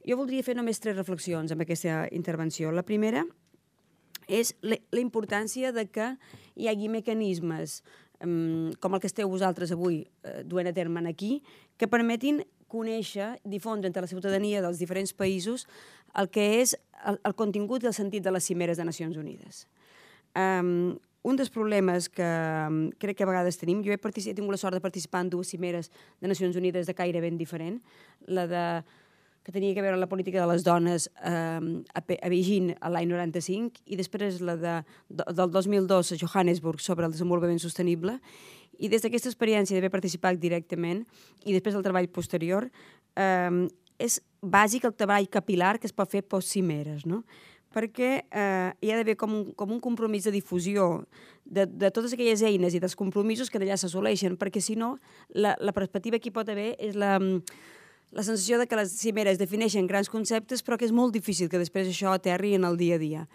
Jo voldria fer només 3 reflexions amb aquesta intervenció. La primera és la importància de que hi hagi mecanismes com el que esteu vosaltres avui duent a terme aquí, que permetin conèixer, difondre entre la ciutadania dels diferents països el que és el contingut i el sentit de les cimeres de Nacions Unides. Un dels problemes que crec que a vegades tenim, jo he tingut la sort de participar en 2 cimeres de Nacions Unides de caire ben diferent, que tenia a veure amb la política de les dones a Beijing l'any 95 i després la del 2002 a Johannesburg sobre el desenvolupament sostenible. I des d'aquesta experiència d'haver participat directament i després del treball posterior, és bàsic el treball capilar que es pot fer post-cimeres, no? Perquè hi ha d'haver com un compromís de difusió de totes aquelles eines i dels compromisos que d'allà s'assoleixen, perquè si no, la perspectiva que hi pot haver és la sensació de que les cimeres defineixen grans conceptes però que és molt difícil que després això aterri en el dia a dia.